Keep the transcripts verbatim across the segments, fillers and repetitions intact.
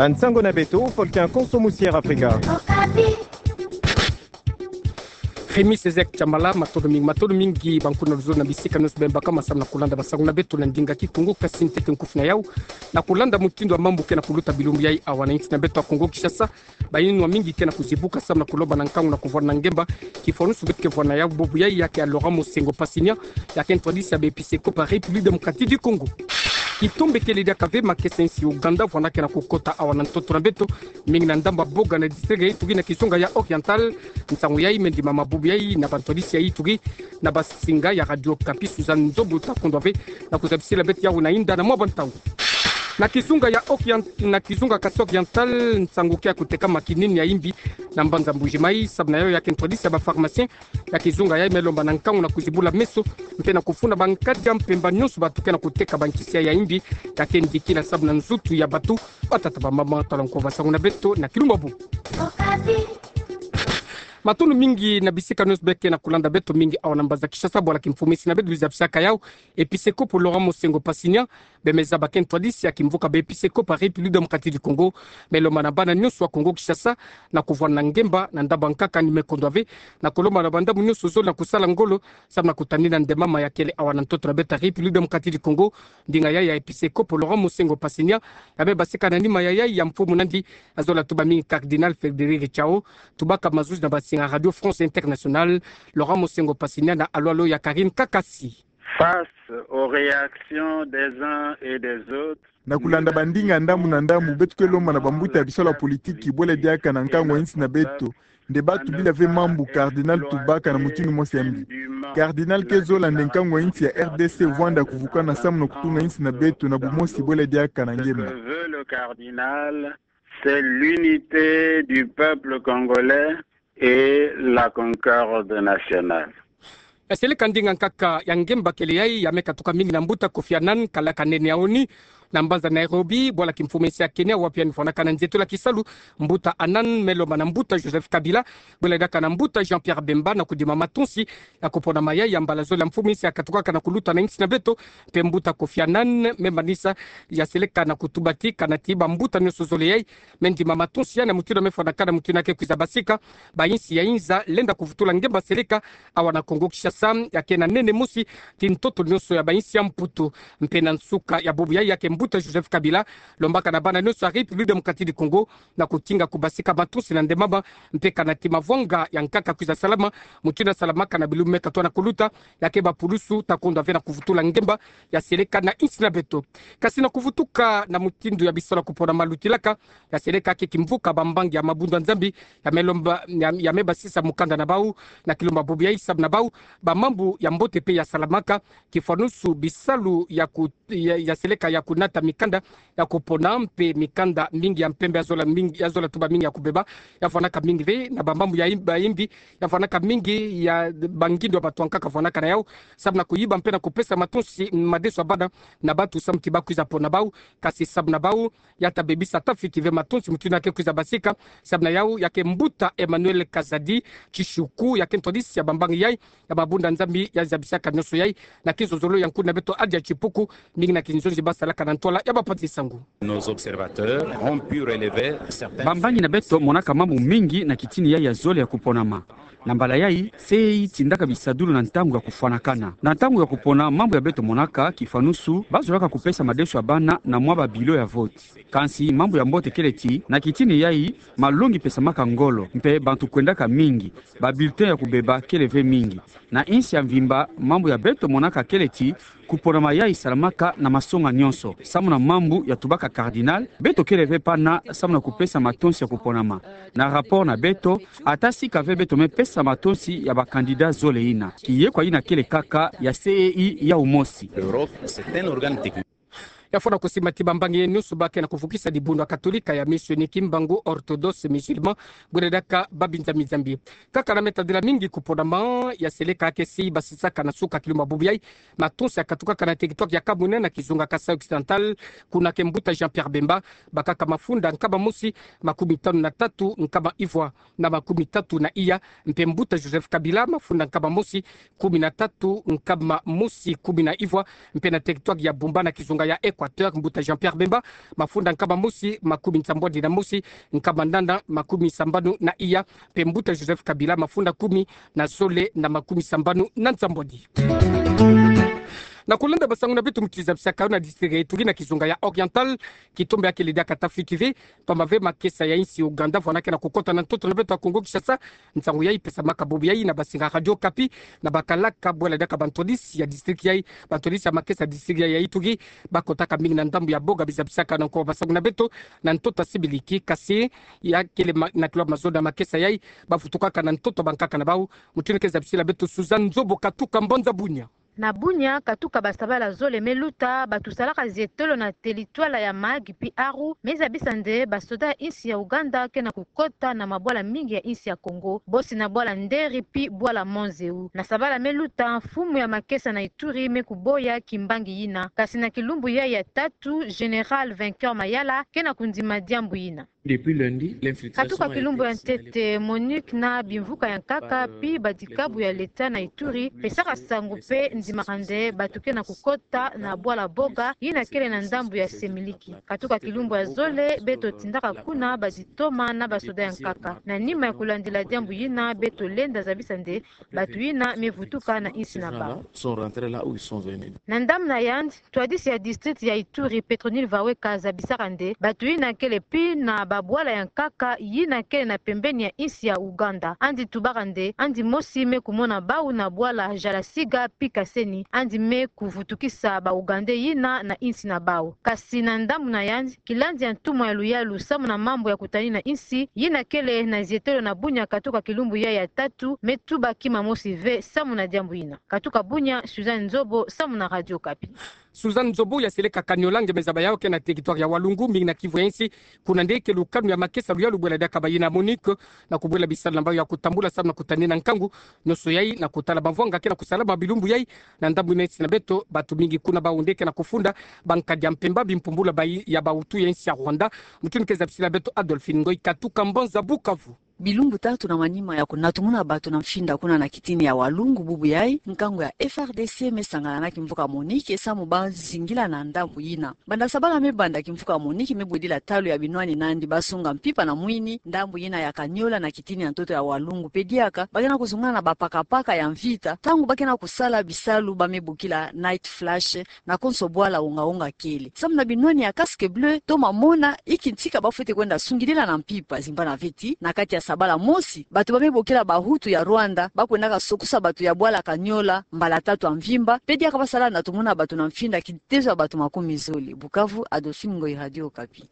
Nsangu na beto, Volcan Konso Musier Afrika. Remi Sezek Chamala, matondo mingi, matondo mingi bankunga zole na bisika nyonso beno baka samu na kulanda bansangu na beto na ndinga Kikongo. Kasi ntete nkufi na yau, na kulanda mutindu ya mambu ke na kuluta bilumbu yai awa na insi na beto ya Kongo Kinshasa, bayinwa mingi ke na kuzibuka samu na kulomba na nkangu na kuvwanda na ngemba kifwanusu beto ke vwanda na yau bubu yai, ya ke ya Laurent Monsengwo Passignan, ya ke ntwadisi ya ba episekopo ya République Démocratique du Congo. Kitombe kele diaka ve makesa insi Ouganda vwanda ke na kukota awa na ntoto na beto, mingi na ndambu ya Boga na district ya Ituri na kizunga ya Oriental. Nsangu yai me ndimama bubu yai na bantwadisi ya Ituri na basinga ya Radio Okapi. Suzanne Nzombo ta kondwa ve na kuzabisila beto yau na inda na mwa bantangu. Na kizunga ya Orient-, na kizunga Kasai Oriental, nsangu ke ya kutekama kinini ya imbi na mbanza Mbuji-Mayi, samu na yau ya ke ntwadisi ya ba pharmacien ya kizunga yai me lomba na nkangu na kuzibula meso, mpe na kufuna bankadi ya mpemba nyonso bato ke na kuteka bankisi ya imbi, ya ke ndikila samu na nzutu ya bato. Batata, bamama, tala nko bansangu na beto na kilumbu ya bubu. Matondo mingi na bisika nyonso beno ke na kulanda beto, mingi awa na mbanza Kinshasa, bwala kimfumu insi na beto luzabisaka yau, episekopo Laurent Monsengwo Passignan, bemeza ba ke ntwadisi ya kimvuka ba episekopo ya République Démocratique du Congo, me lomba na bana nyonso ya Kongo Kinshasa na kuvwanda na ngemba na ndambu ya nkaka ni me kondwa ve, na kulomba na bandambu nyonso zole na kusala ngolo samu na kutanina ndemama ya kele awa na ntoto na beto ya République Démocratique du Congo. Ndinga yai ya episekopo Laurent Monsengwo Passignan ya me basika na nima ya yai ya mfumu nandi ya zole tuba mingi, Cardinal Frédéric Chao, tubaka mazuzi na basinga Radio France Internationale. Laurent Monsengwo Passignan na alwalo ya Karine Kakasi. Face aux réactions des uns et des autres, na kulanda bandinga ndambu na ndambu, beto ke lomba na bambuta ya bisalu ya politiki bwela diaka na nkangu ya insi na beto nde bato bila ve mambu Cardinal tubaka na mutindu mosi ya mbi. Cardinal ke zola nde nkangu ya insi ya R D C vwanda kuvukana samu na kutunga insi na beto na bumosi bwela diaka na ngemba. Ce que veut le cardinal, c'est l'unité du peuple congolais et la concorde nationale. Ya seleka ndinga nkaka ya ngemba kele yai ya me katuka mingi na mbuta Kofi Annan, kalaka nene ya ONU, na mbanza Nairobi, bwala kimfumu insi ya Kenya, wapi yandi fwanakana nzietolo ya kisalu. Mbuta Annan me lomba na mbuta Joseph Kabila, bwela diaka na mbuta Jean-Pierre Bemba na kudima matonsi ya kuponama yai ya mbala zole ya mfumu insi ya katukaka na kuluta na insi na beto. Mpe mbuta Kofi Annan me manisa ya seleka na kutuba ti kana ti bambuta nyonso zole yai me ndima matonsi ya na mutindu ya me fwanakana, mutindu ya ke kwiza basika ba insi ya inza lenda kuvutula ngemba seleka awa na Kongo Kinshasa, ya ke na nene mosi ti ntoto nyonso ya ba insi ya Mputu. Mpe na nsuka ya bubu yai, ya ke mbuta Joseph Kabila lombaka na bana nyonso ya République Démocratique du Congo na kutinga kubasika matonsi na ndemama, mpe kana ti mavwanga ya nkaka kwiza salama, mutindu ya salamaka na bilumbu me katoa na kuluta, ya ke bapulusu ta kondwa ve na kuvutula ngemba ya seleka na insi na beto. Kasi na kuvutuka na mutindu ya bisalu ya kuponama lutilaka, ya seleka ke kimvuka bambangi ya mabundu ya Nzambi ya me lomba, ya, ya me basisa mukanda na bau na kilumbu ya bubu yai samu na bau bamambu ya mbote mpe ya salamaka, kifwanusu bisalu ya ku-, ya, ya seleka ya kunata mikanda ya kupona, mpe mikanda mingi ya mpembe ya zola mingi, ya zola tuba mingi ya kubeba, ya fwanaka mingi ve na bamambu ya im-, bayimbi, ya fwanaka mingi ya bangindo ya bato ya nkaka fwanaka na yau, samu na kuyiba mpe na kupesa matonsi, madeso ya bana na bato samu ti ba kwiza pona bau, kasi samu na bau ya ta bebisa, ta fiti ve matonsi mutindu ya ke kwiza basika. Samu na yau, ya ke mbuta Emmanuel Kazadi Tshishiku, ya ke ntwadisi ya bambangi yai ya mabundu ya Nzambi ya zabisaka nyonso yai, na kizozolo ya nkuna na beto Adia Tshipuku, mingi na kinzonzi ba salaka na ntwala ya bapanzi nsangu. Nos observateurs ont pu relever certaines... Bambangi na beto monaka mambu mingi na kitini yai ya zole ya kuponama. Na mbala yai, C E I tindaka bisadulu na ntangu ya kufwanakana. Na ntangu ya kupona, mambu ya beto monaka, kifwanusu, ba zolaka kupesa madeso ya bana na mwa ba bureau ya vote. Kansi mambu ya mbote kele ti, na kitini yai, malongi pesamaka ngolo, mpe bantu kwendaka mingi, ba bulletin ya kubeba kele ve mingi. Na insi ya mvimba, mambu ya beto monaka kele ti, kuponama yai salamaka na masonga nyonso. Samu na mambu ya tubaka cardinal, beto kele ve pana samu na kupesa matonsi ya kuponama. Na rapport na beto, ata sika ve beto me pesa matonsi ya ba candidats zole ina, kiyekwa ina kele kaka ya C E I yau mosi. L'Europe, c'est un organe technique. Ya fwana kusimba ti bambangi nyonso ba ke na kuvukisa dibundu ya Katolika ya Mission Kimbangu, Orthodoxe Musulman, bwela diaka babinza mizambi. Kaka na me tadila mingi kuponama, ya seleka ke si basisaka na suka kilumbu ya bubu yai matonsi ya katukaka na territoire ya Kamwina na kizunga Kasaï Occidental, kuna ke mbuta Jean-Pierre Bemba, bakaka mafunda nkama mosi makumi tanu na tatu nkama ivwa na makumi tatu na iya, mpe mbuta Joseph Kabila mafunda nkama mosi kumi na tatu nkama mosi kumi na ivwa, mpe na territoire ya Bumba na kizunga ya Eko Équateur, mbuta Jean-Pierre Bemba, mafunda nkama mosi makumi nsambwadi na mosi, nkama nana makumi sambanu na iya, mpe mbuta Joseph Kabila, mafunda kumi na zole na makumi sambanu na nsambwadi. Na kulenda basangu na beto muti zabisaka yo na district ya Ituri na kizunga ya Oriental, kitombe ya kele diaka tafiti ve, pamba ve makesa ya insi Ouganda, vwanda ke na kukota na ntoto na beto ya Kongo Kinshasa. Nsangu yayi pesamaka bubu yayi na basinga Radio Okapi, na bakalaka bwela diaka bantwadisi ya district yayi, bantwadisi ya makesa district yayi ya Ituri, bakotaka mingi na ndambu ya Boga, bizabisaka na nko basangu na beto, na ntoto ya sibiliki, kasi ya kele ma-, na kilo mazono ya makesa yayi, bavutukaka na ntoto bankaka na bawu, mutindu ke zabisila beto Suzanne Nzobo katuka mbanza Bunia. Na Bunia, katuka basabala zole me luta, bato salaka zietolo na teritwala ya Mahagi pi Aru, me zabisa nde basoda ya insi ya Ouganda ke na kukota na mabwala mingi ya insi ya Kongo, bosi na bwala Nderi pi bwala Mont Zeu. Na sabala me luta, mfumu ya makesa na Ituri me kuboya kimbangi yina, kasi na kilumbu yayi ya tatu, Général Vainqueur Mayala ke na kundima diambu yina. Depuis lundi, l'infiltration a été signalée par, euh, les forces de l'ordre. Katuka kilumbu ya ntete, MONUC na bimvuka ya nkaka pi badikabu ya leta na Ituri pesaka sango pe ndimaka nde bato ke na kukota na bwala Boga, yina kele na ndambu ya Semiliki. Katuka kilumbu ya zole, beto tindaka kuna baditoma na basoda ya nkaka. Na nima ya kulandila diambu yina, beto lenda zabisa nde bato yina me vutuka na insi na bawu. Sont rentrés là où ils sont venus. Na ndambu na yandi, ntwadisi ya district ya Ituri, Petronile Vaweka, zabisaka nde bato yina kele pi na babwala ya nkaka yina kele na pembeni ya insi ya Ouganda. Yandi tubaka nde yandi mosi me kumona bawu na bwala Jalasiga pi Kaseni, yandi me kuvutukisa ba Ougandais yina na insi na bawu. Kasi na ndambu na yandi, kilandi ya ntumwa ya luyalu samu na mambu ya kutani na insi, yina kele na zietolo na Bunia katuka kilumbu yayi ya tatu, me tuba kima mosi ve samu na diambu yina. Katuka Bunia, Suzanne Nzobo, samu na Radio Okapi. Suzanne Nzobo, ya seleka Kaniola nge me zaba yawu ke na territoire ya Walungu, mingi na Kivu ya insi, kuna nde ke lukanu ya makesa luyalu bwela diaka bayina MONUC, na kubwela bisalu na bawu ya kutambula samu na kutani na nkangu nyonso yayi, na kutala mavwanga ke na kusalama bilumbu yayi, na ndambu na insi na beto, bato mingi kuna bawu nde ke na kufunda bankadi ya mpemba, bimpumbulu bayi ya bawutu ya insi ya Rwanda, mutindu ke zabisila beto Adolphine Ngoyi katuka mbanza Bukavu. Bilumbu tatu na manima ya kunatumuna bato na mfinda kuna na kitini ya Walungu bubu yayi, nkangu ya F R D C me sangana na kimvuka MONUC samu ba zingila na ndambu yina. Banda sabala me banda, kimvuka MONUC me bwedila talu ya binwani na yandi basunga mpimpa na mwini ndambu yina ya Kaniola na kitini ya ntoto ya Walungu, pe diaka ba ke na kuzungana na bapakapaka ya mvita, ntangu ba ke na kusala bisalu ba me bokila night flash, na konso bwala wonga-wonga kele. Samu na binwani ya casque bleu, toma mona inki ntika ba fwete kwenda sungidila na mpimpa, zimbana ve ti na kati ya sabala mosi, bato ba me bokila bahutu ya Rwanda ba kwendaka sokusa bato ya bwala Kaniola mbala tatu ya mvimba, pe diaka ba sala na natumuna bato na mfinda kitezo ya bato makumi zole. Bukavu, Adolphine Ngoyi, Radio Okapi.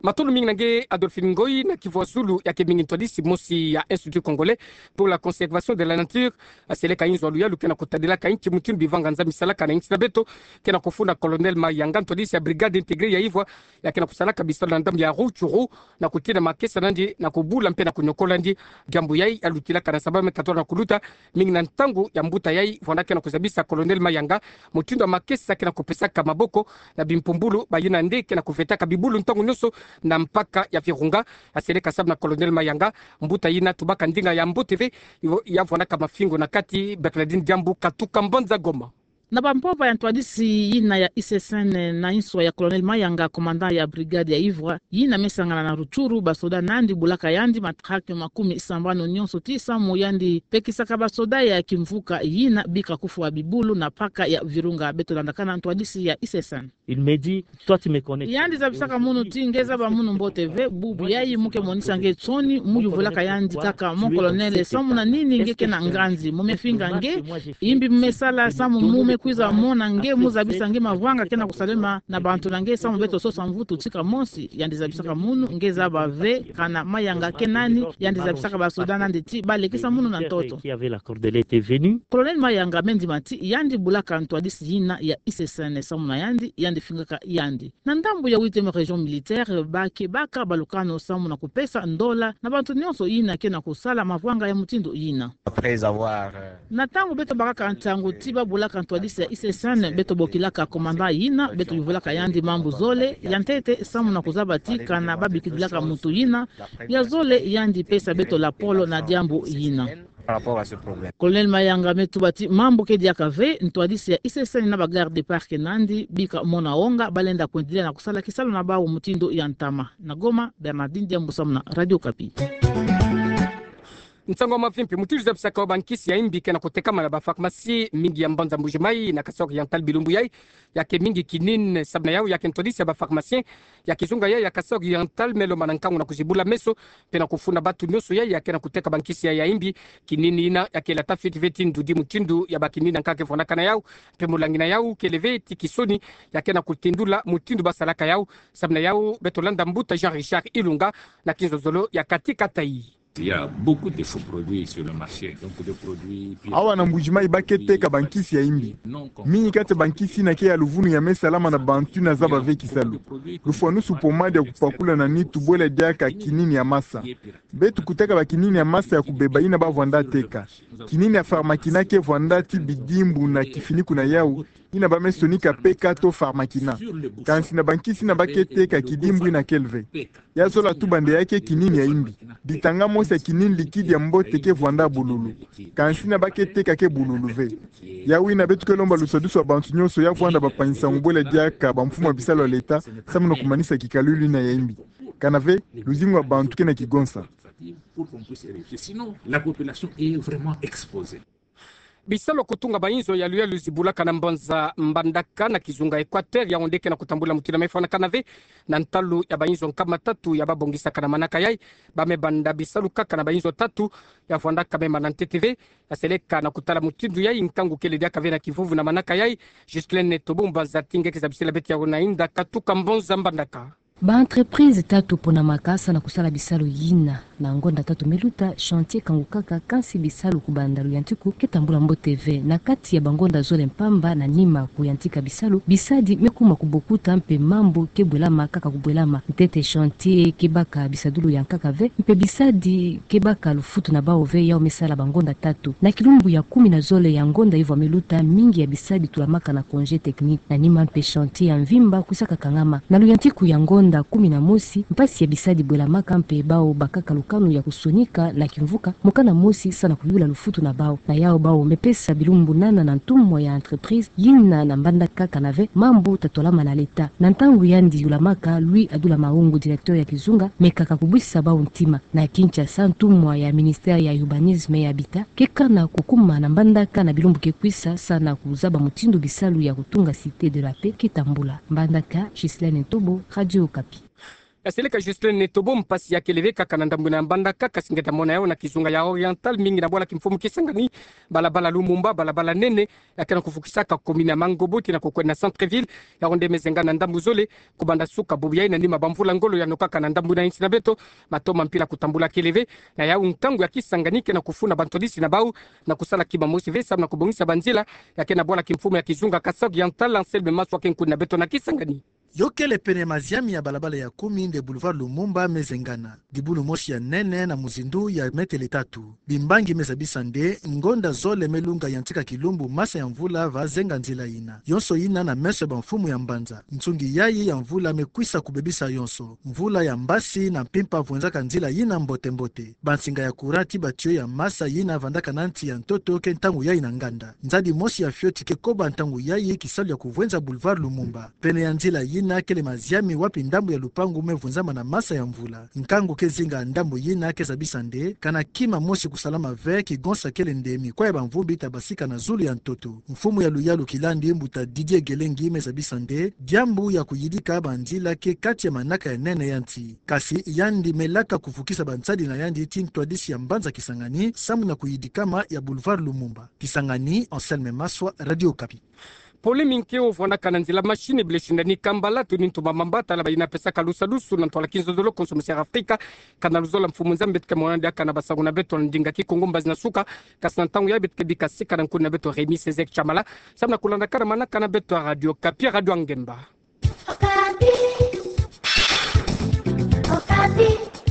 Matondo mingi na nge Adolphine Ngoyi. Na Kivu ya zulu, ya ke mingi ntwadisi mosi ya Institut Congolais pour la Conservation de la Nature, aseleka inzo ya luyalu ke na kutadilaka inki mutindu bivanga nza me salaka na insi na beto, ke na kufunda Colonel Mayanga, ntwadisi ya Brigade Intégrée ya Ivwa, ya ke na kusalaka bisalu na ndambu ya Rutshuru, na kutina makesa na yandi, na kubula mpe na kunyokola yandi. Diambu yayi ya lutilaka na sabala me katola na kuluta, mingi na ntangu ya mbuta yayi, vwanda ke na kuzabisa Colonel Mayanga mutindu ya makesa ke na kupesaka maboko na bimpumbulu bayina nde ke na kuvetaka bibulu ntangu nyonso na mpaka ya Virunga. Aseleka samu na Colonel Mayanga, mbuta yina tubaka ndinga ya mbote ve, yo, ya vwandaka mafingo na kati, Bernardine Diambu katuka mbanza Goma. Na bampova ya ntwadisi yina ya I C S N na inswa ya Colonel Mayanga, commandant ya brigade ya Ivwa, yina me sangana na Rutshuru, basoda na yandi bulaka yandi matraque makumi sambanu nyonso ti samu yandi pekisaka basoda ya kimvuka yina bika kufwa bibulu na mpaka ya Virunga. Beto landakana ntwadisi ya I C S N. Il me dit, toi, tu me connais. Yandi zabisaka munu ti nge zaba munu mbote ve, bubu yayi mu ke monisa nge nsoni, mu yuvulaka yandi kaka: mon colonel, samu na nini nge ke na nganzi? Mu me finga nge? Imbi mu me sala samu mu me kwiza mona nge, mu zabisa nge mavanga ke na kusalema na bantu na nge, samu beto sosa mvutu tika mosi? Yandi zabisaka munu: nge zaba ve, kana Mayanga ke nani? Yandi zabisaka basoda na yandi ti ba lekisa munu na ntoto. Qui avait la corde était venu. Colonel Mayanga me ndima ti yandi bulaka ntwadisi yina ya I C S N, samu na yandi, yandi fingaka yandi. Na ndambu ya huitième région militaire, ba ke baka balukano samu na kupesa ndola na bantu nyonso yina ke na kusala mavanga ya mutindu yina. Après avoir, euh, na ntangu beto bakaka ntangu ti ba bulaka ntwadisi ya I C S N, beto bokilaka commandant yina, beto yuvulaka yandi mambu zole. Ya ntete, samu na kuzaba ti kana ba bikidilaka muntu yina. Ya zole, yandi pesa beto lapolo na diambu yina. par rapport à ce problème. Colonel Mayanga me tuba ti mambu ke diaka ve, ntwadisi ya I C C N na ba garde du parc na yandi, bika mona onga, balenda kwendelea na kusala kisalu na bawu mutindu ya ntama. Na Goma, Bernardine Diambu samu na Radio Okapi. Nsangu mavimpi, mutindu zabisaka bankisi ya imbi ke na kutekama na ba pharmacie mingi ya mbanza Mbuji-Mayi na Kasaï Oriental bilumbu yayi, ya ke mingi kinini. Samu na yawu, ya ke ntwadisi ya ba pharmacien ya kizunga yayi ya Kasaï Oriental me lomba na nkangu na kuzibula meso mpe na kufuna bantu nyonso yayi ya ke na kuteka bankisi yayi ya imbi. Kinini yina ya ke lata fiti ve ti ndudi mutindu ya ba kinini yankaka ke vwandaka na yawu, mpe molangi na yawu kele ve ti kisoni ya ke na kutindula mutindu basalaka yawu. Samu na yawu, beto landa mbuta Jean Richard Ilunga na kinzonzolo ya kati katayi. Il y a beaucoup de faux produits sur le marché. Donc, des produits... Awa na Mbuji-Mayi ba ke teka bankisi ya imbi. Mingi kati ya bankisi yina ke ya luvunu ya me salama na bantu yina zaba ve kisalu. Lufwanusu pommade ya kupakula na nitu, bwela diaka kinini ya masa. Beto kuteka ba kinini ya masa ya kubeba yina ba vwanda teka. Kinini ya Pharmakina ke vwanda ti bidimbu na kifiniku na yawu, yina ba me sonika P K to Pharmakina. Kansi na bankisi yina ba ke teka, kidimbu yina kele ve. Ya zola tuba nde ya ke kinini ya imbi. Ditanga mosi ya kinini liquide ya mbote ke vwanda bululu. Kansi yina ba ke teka ke bululu ve. Yawu yina beto ke lomba lusadusu ya bantu nyonso ya vwanda bampangi-nsangu, bwela diaka bamfumu ya bisalu ya leta, samu na kumanisa kikalulu yina ya imbi. Kana ve, luzingu ya bantu ke na kigonsa. Sinon, la population est vraiment exposée. Bisalu ya kutunga bayinzo ya luyalu zibulaka na mbanza Mbandaka na kizunga Equateur, yawu nde ke na kutambula mutindu ya me fwanakana ve. Na ntalu ya bayinzo nkama tatu ya ba bongisaka na manaka yayi, ba me banda bisalu kaka na bayinzo tatu ya vwandaka me mana ntete ve. Ya seleka na kutala mutindu yayi, nkangu kele diaka ve na kivuvu na manaka yayi. Ghislaine Tobo, mbanza'ati nge ke zabisila beto yawu na inda katuka mbanza Mbandaka. Ba entreprise tatu ponamaka sa na kusala bisalu yina. Na ngonda tatu me luta, chantier kangukaka, kansi bisalu kubanda luyantiku ke tambula mbote ve. Na kati ya bangonda zole mpamba na nima kuyantika bisalu, bisadi me kuma kubokuta mpe mambu ke bwelama kaka kubwelama. Ntete chantier ke baka bisadulu yankaka ve, mpe bisadi ke baka lufutu na bawu ve, yawu me sala bangonda tatu. Na kilumbu ya kumi na zole ya ngonda ivwa me luta, mingi ya bisadi tulamaka na congé technique. Na nima mpe chantier ya mvimba kwisaka kangama. Na luyantiku ya ngonda kumi na mosi, mpasi ya bisadi bwelamaka mpe bawu bakaka lukanu ya kusonika na kimvuka mokana mosi sa na kuyula lufutu na bawu. Na yawu bawu me pesa bilumbu nana na ntumwa ya entreprise yina na Mbandaka kana ve mambu tatolama na leta. Na ntangu yandi yulamaka, Louis Adula Mahungu, directeur ya kizunga, me kaka kubwisa bawu ntima. Na Kinshasa, ntumwa ya ministère ya urbanisme et habitat ke kana kukuma na Mbandaka na bilumbu ke kwisa sa na kuzaba mutindu bisalu ya kutunga Cité de la Paix ke tambula. Mbandaka, Ghislaine Ntobo, Radio Okapi. Ya seleka Ghislaine Ntobo, mpasi ya kele ve kaka na ndambu yina ya Mbandaka, kasi nge ta mona yawu na kizunga ya Oriental, mingi na bwala kimfumu Kisangani, balabala Lumumba, balabala nene ya ke na kufukisaka commune ya Mangobo tii na kukwenda na centre-ville. Yawu nde me zenga na ndambu zole kubanda suka bubu yayi, na nima bamvula ngolo ya nokaka na ndambu yina ya nsi na beto. Matomo mpila kutambula kele ve. Na yawu, nkangu ya Kisangani ke na kufuna bantwadisi na bawu na kusala kima mosi ve samu na kubongisa banzila ya ke na bwala kimfumu ya kizunga Kasaï Oriental, Anselme Maswa ke nkuni na beto na Kisangani. Yo kele pene maziami ya balabala ya kumi nde boulevard Lumumba me zengana. Dibulu mosi ya nene na muzindu ya metele tatu. Bimbangi me zabisa nde ngonda zole me lunga yantika kilumbu masa ya mvula va zenga nzila yina. Yonso yina na meso ya bamfumu ya mbanza. Nsungi yayi ya mvula me kwisa kubebisa yonso. Mvula ya mbasi na mpimpa vwenzaka nzila yina mbote-mbote. Bansinga ya courant tii ba tuyau ya masa yina vandaka na nsi ya ntoto ke ntangu yayi na nganda. Nzadi mosi ya fioti ke koba ntangu yayi kisalu ya kuvwenza boulevard Lumumba. Pene ya nzila yina kele maziami wapi ndambu ya lupangu me vunzama na masa ya mvula. Nkangu ke zinga ndambu yina ke zabisa nde kana kima mosi kusalama ve, kigonsa kele nde mikwa ya bamvumbi ta basika na zulu ya ntoto. Mfumu ya luyalu kilandi, mbuta Didier Gelengi, me zabisa nde diambu ya kuyidika banzila ke kati ya manaka ya nene ya nsi. Kasi yandi me laka kuvukisa bansadi na yandi tii ntwadisi ya mbanza Kisangani samu na kuyidikama ya boulevard Lumumba. Kisangani, Anselme Maswa, Radio Okapi. Pole mingi ke ovwandaka na nzila machine, bile sindani kambala, tuni ntuma mamba, tala bayina pesaka lusadusu na ntwala kinzonzolo, consommateur Afrika. Kana luzola Mfumu Nzambi, beto ke mona diaka na basangu na beto na ndinga Kikongo mbazi na suka. Kasi na ntangu yayi beto ke bika sika na nkuni na beto Rémi Césaire Tshamala, samu na kulandaka manaka na beto ya Radio Okapi, Radio Angemba. Okapi. Okapi.